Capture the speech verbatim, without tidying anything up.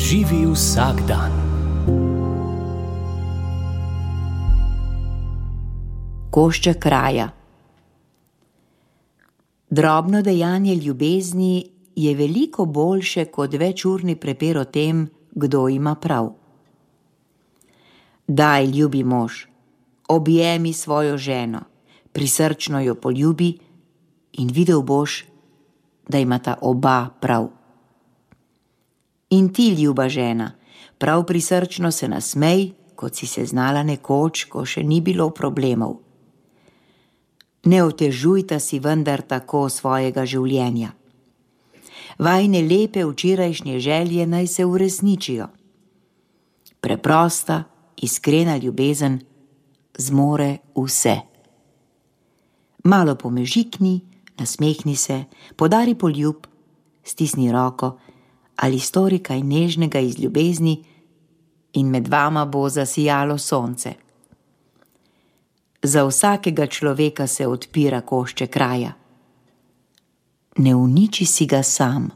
Živi vsak dan. Košček raja. Drobno dejanje ljubezni je veliko boljše kot večurni prepir o tem, kdo ima prav. Daj, ljubi mož, objemi svojo ženo, prisrčno jo poljubi in videl boš, da imata oba prav. In ti, ljuba žena, prav prisrčno se nasmej, kot si se znala nekoč, ko še ni bilo problemov. Ne otežujta si vendar tako svojega življenja. Vajine lepe včerajšnje želje naj se uresničijo. Preprosta, iskrena ljubezen zmore vse. Malo pomežikni, nasmehni se, podari poljub, stisni roko ali stori kaj nežnega iz ljubezni in med vama bo zasijalo sonce. Za vsakega človeka se odpira košček raja. Ne uniči si ga sam.